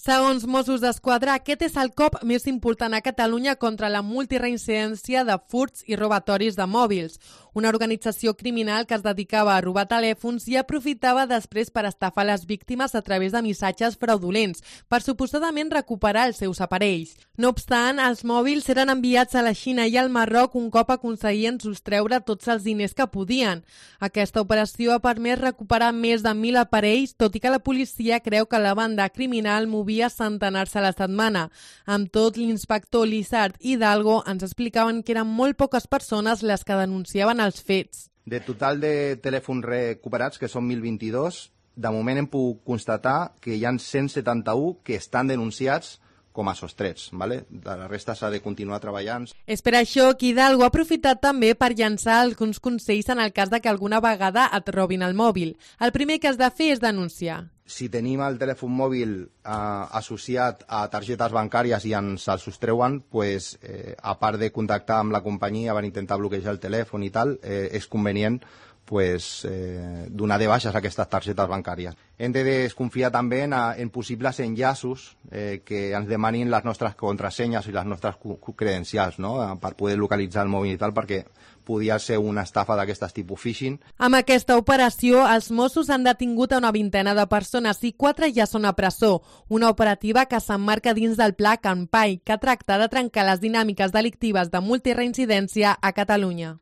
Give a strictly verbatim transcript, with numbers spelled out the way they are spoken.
Segons Mossos d'Esquadra, aquest és el cop més important a Catalunya contra la multireincidència de furts i robatoris de mòbils. Una organització criminal que es dedicava a robar telèfons i aprofitava després per estafar les víctimes a través de missatges fraudulents per suposadament recuperar els seus aparells. No obstant, els mòbils eren enviats a la Xina i al Marroc un cop aconseguien sostreure tots els diners que podien. Aquesta operació ha permès recuperar més de mil aparells, tot i que la policia creu que la banda criminal movia centenars a la setmana. Amb tot, l'inspector Lizard Hidalgo ens explicaven que eren molt poques persones les que denunciaven els fets. De total de telèfons recuperats, que són mil vint-i-dos, de moment hem pogut constatar que hi ha cent setanta-u que estan denunciats com a sostrets, ¿vale? De la resta s'ha de continuar treballant. És per això que Hidalgo ha aprofitat també per llançar alguns consells en el cas de que alguna vegada et robin el mòbil. El primer que has de fer és denunciar. Si tenim el telèfon mòbil eh, associat a targetes bancàries i ens el sostreuen, pues, eh, a part de contactar amb la companyia per intentar bloquejar el telèfon i tal, eh, és convenient pues, eh, donar de baixes aquestes targetes bancàries. Hem de desconfiar també en, en possibles enllaços eh, que ens demanin les nostres contrasenyes i les nostres credencials, no? Per poder localitzar el mòbil i tal, perquè podia ser una estafa d'aquestes tipus phishing. Amb aquesta operació, els Mossos han detingut a una vintena de persones i quatre ja són a presó. Una operativa que s'emmarca dins del pla Canpai, que tracta de trencar les dinàmiques delictives de multireincidència a Catalunya.